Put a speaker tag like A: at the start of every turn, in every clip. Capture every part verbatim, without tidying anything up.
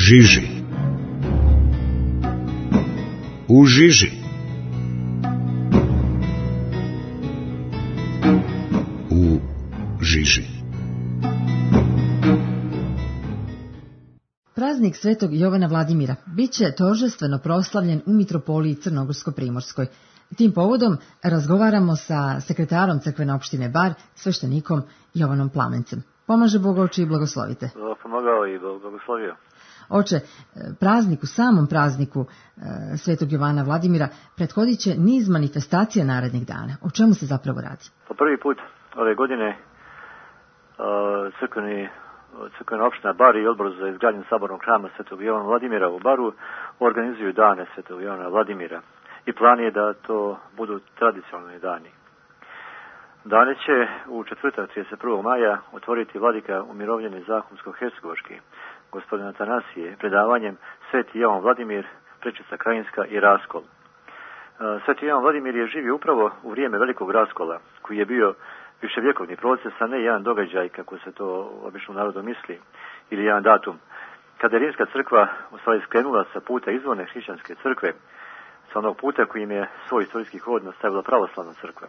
A: žiži. U žiži. U žiži.
B: Praznik Svetog Jovana Vladimira bit će торжествено proslavljen u mitropoliji Crnogorsko-Primorskoj. Tim povodom razgovaramo sa sekretarom crkvene opštine Bar, sveštenikom Jovanom Plamencem. Pomaže Bog, oče, i blagoslovite.
C: Pomagao i blagoslovio.
B: Oče, prazniku, samom prazniku Svetog Jovana Vladimira prethodit će niz manifestacija narednih dana. O čemu se zapravo radi?
C: Po prvi put ove godine crkveni Crkvena opština Bar i odbor za izgradnju sabornog hrama Svetog Jovana Vladimira u Baru organizuju dane Svetog Jovana Vladimira i plan je da to budu tradicionalni dani. Dane će u četvrtak trideset prvog maja otvoriti vladika umirovljeni Zahumsko-Hercegovački, gospodin Atanasije, predavanjem Sveti Jovan Vladimir, Prečica Krajinska i Raskol. Sveti Jovan Vladimir je živio upravo u vrijeme velikog raskola, koji je bio viševjekovni proces, a ne jedan događaj, kako se to obično narodu misli, ili jedan datum. Kada je Rimska crkva u stvari skrenula sa puta izvorne hrišćanske crkve, sa onog puta kojim je svoj istorijski hod nastavila pravoslavna crkva.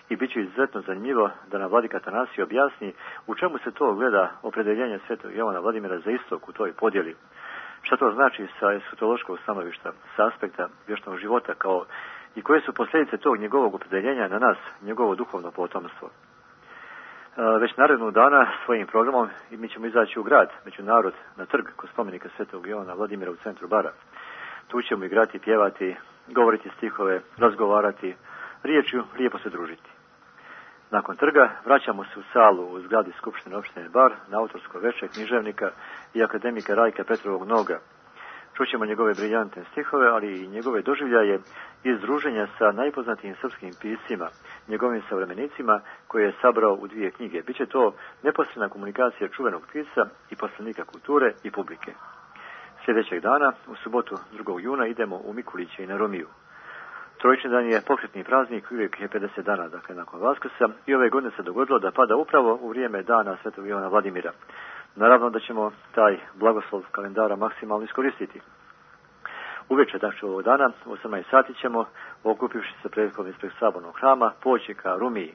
C: I bit će izuzetno zanimljivo da nam vladika Atanasije objasni u čemu se to gleda opredeljenje Svetog Jovana Vladimira za istok u toj podjeli. Šta to znači sa eskatološkog stanovišta, sa aspekta vječnog života, kao i koje su posljedice tog njegovog opredeljenja na nas, njegovo duhovno potomstvo. Već narednog dana svojim programom i mi ćemo izaći u grad, među narod, na trg kod spomenika Svetog Jovana Vladimira u centru Bara. Tu ćemo igrati, pjevati, govoriti stihove, razgovarati, riječju lijepo se družiti. Nakon trga vraćamo se u salu u zgradi Skupštine opštine Bar na autorsko veče književnika i akademika Rajka Petrovog Noga. Čućemo njegove briljantne stihove, ali i njegove doživljaje iz druženja sa najpoznatijim srpskim piscima, njegovim savremenicima koje je sabrao u dvije knjige. Biće to neposredna komunikacija čuvenog pisca i poslanika kulture i publike. Sljedećeg dana, u subotu drugog juna, idemo u Mikuliće i na Romiju. Trojični dan je pokretni praznik, uvijek je pedeset dana, dakle nakon Vaskrsa, i ove godine se dogodilo da pada upravo u vrijeme dana Svetog Jovana Vladimira. Naravno da ćemo taj blagoslov kalendara maksimalno iskoristiti. Uveče dakle ovog dana, u osamnaest sati ćemo, okupivši se prethodno ispred sabornog hrama, poći ka Rumiji,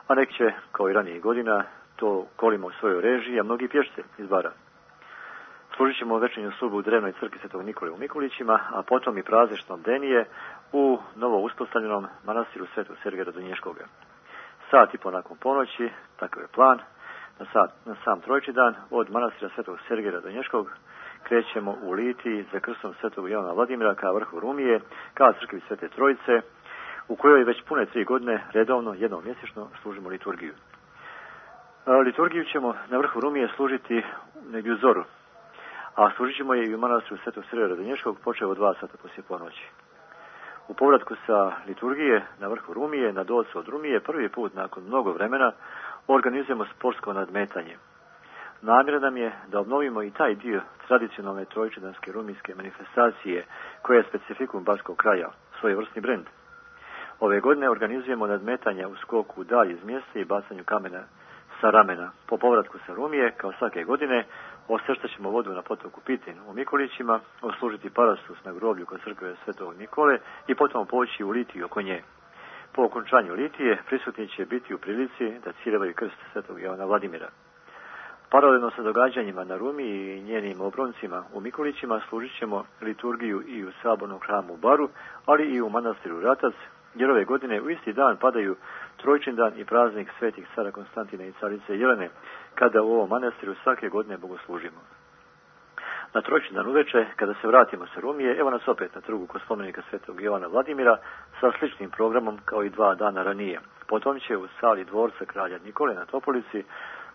C: a neki će, kao i ranijih godina, to kolimo u svojoj režiji, a mnogi pješce iz Bara. Služit ćemo večernju službu u drevnoj crkvi Svetog Nikole u Mikulićima, a potom i prazničnom denije u novo uspostavljenom manastiru Svetog Sergeja Radonješkoga. Sat i po nakon ponoći, takav je plan, na, sat, na sam trojični dan od manastira Svetog Sergeja Radonješkog krećemo u Litiji za krstom Svetog Jovana Vladimira ka vrhu Rumije, ka crkvi Svete Trojice, u kojoj već pune tri godine redovno, jednom mjesečno, služimo liturgiju. Liturgiju ćemo na vrhu Rumije služiti negdje u zoru, a služit ćemo je i u manastiru Svetog Sergeja Radonješkog počeo od dva sata poslije ponoći. U povratku sa liturgije na vrhu Rumije, na dolcu od Rumije, prvi put nakon mnogo vremena organizujemo sportsko nadmetanje. Namjera nam je da obnovimo i taj dio tradicionalne trojičedanske rumijske manifestacije koja je specifikum barskog kraja, svojevrsni brend. Ove godine organizujemo nadmetanja u skoku dalje iz mjesta i bacanju kamena sa ramena. Po povratku sa Rumije, kao svake godine, osrštat ćemo vodu na potoku Pitin u Mikulićima, oslužiti parastus na groblju kod crkve Svetog Nikole i potom poći u Litiju oko nje. Po okončanju Litije prisutni će biti u prilici da ciljevaju krst Svetog Jovana Vladimira. Paralelno sa događanjima na Rumiji i njenim obroncima u Mikulićima služit ćemo liturgiju i u sabornom hramu u Baru, ali i u manastiru Ratac, jer ove godine u isti dan padaju Trojični dan i praznik svetih cara Konstantina i carice Jelene, kada u ovom manastiru svake godine bogoslužimo. Na Trojični dan uveče, kada se vratimo sa Rumije, evo nas opet na trgu kod spomenika Svetog Jovana Vladimira sa sličnim programom kao i dva dana ranije. Potom će u sali dvorca kralja Nikole na Topolici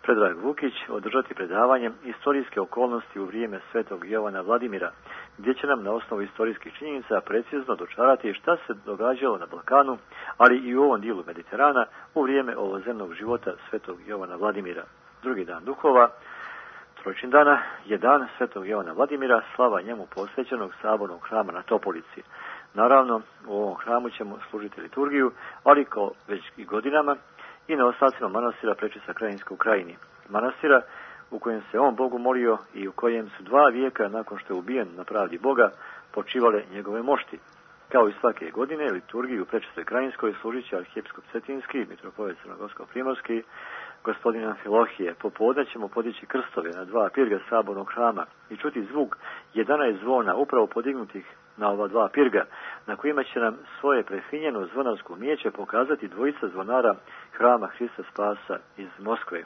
C: Predrag Vukić održati predavanje istorijske okolnosti u vrijeme Svetog Jovana Vladimira, gdje će nam na osnovu istorijskih činjenica precizno dočarati šta se događalo na Balkanu, ali i u ovom dijelu Mediterana u vrijeme ovozemnog života Svetog Jovana Vladimira. Drugi dan duhova, trojični dana, je dan Svetog Jovana Vladimira, slava njemu posvećenog sabornog hrama na Topolici. Naravno, u ovom hramu ćemo služiti liturgiju, ali kao već i godinama, i na ostacima manastira Prečica Krajinska u Krajini. Manastira u kojem se on Bogu molio i u kojem su dva vijeka nakon što je ubijen na pravdi Boga počivale njegove mošti. Kao i svake godine, liturgiju u Prečistoj Krajinskoj služit će arhijepiskop Cetinski, mitropolit Crnogorsko-primorski, gospodin Amfilohije. Popodne ćemo podići krstove na dva pirga sabornog hrama i čuti zvuk jedanaest zvona upravo podignutih na ova dva pirga, na kojima će nam svoje prefinjeno zvonarsko umijeće pokazati dvojica zvonara hrama Hrista Spasa iz Moskve.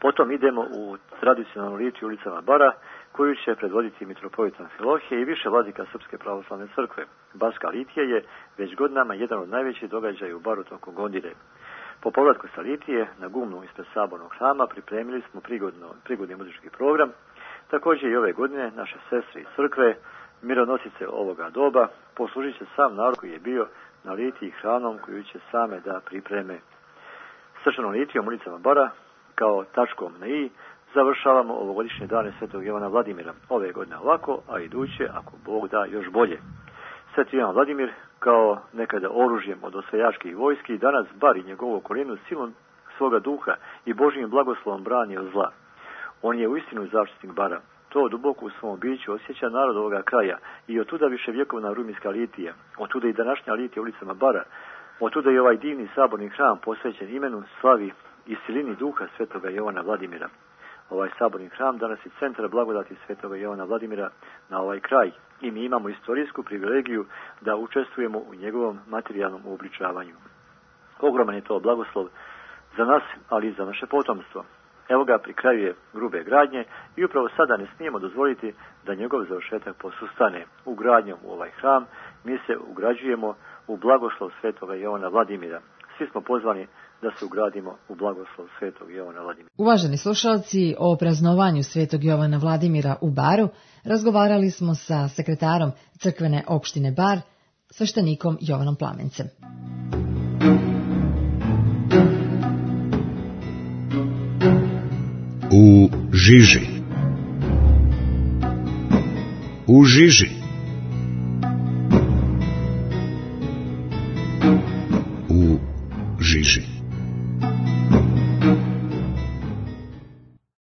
C: Potom idemo u tradicionalnu litiju ulicama Bara, koju će predvoditi mitropolit Amfilohije i više vladika Srpske pravoslavne crkve. Barska litija je već godinama jedan od najvećih događaja u Baru tokom godine. Po povratku sa litije na gumnu ispred sabornog hrama pripremili smo prigodno, prigodni muzički program. Također i ove godine naše sestre iz crkve, mironosice ovoga doba, poslužit će sam narod koji je bio na litiji hranom koju će same da pripreme. Srčanom litijom ulicama Bara, kao tačkom na i, završavamo ovogodišnje dane Svetog Jovana Vladimira. Ove godine ovako, a iduće, ako Bog da, još bolje. Sveti Jovan Vladimir, kao nekada oružjem od osvajačkih vojski, danas Bar i njegovu okolinu silom svoga duha i Božjim blagoslovom brani od zla. On je uistinu zaštitnik Bara. To duboko u svom biću osjeća narod ovoga kraja i otuda viševjekovna rumijska litija, otuda i današnja litija ulicama Bara, otuda i ovaj divni saborni hram posvećen imenu, slavi i silini duha Svetoga Jovana Vladimira. Ovaj saborni hram danas je centar blagodati Svetoga Jovana Vladimira na ovaj kraj i mi imamo istorijsku privilegiju da učestvujemo u njegovom materijalnom uobličavanju. Ogroman je to blagoslov za nas, ali i za naše potomstvo. Evo ga pri kraju je grube gradnje i upravo sada ne smijemo dozvoliti da njegov završetak posustane. Ugradnjom u ovaj hram mi se ugrađujemo u blagoslov Svetoga Jovana Vladimira. Svi smo pozvani da se ugradimo u blagoslov Svetog Jovana Vladimira.
B: Uvaženi slušalci, o praznovanju Svetog Jovana Vladimira u Baru razgovarali smo sa sekretarom crkvene opštine Bar, sveštenikom Jovanom Plamencem.
A: U žiži. U žiži. U žiži.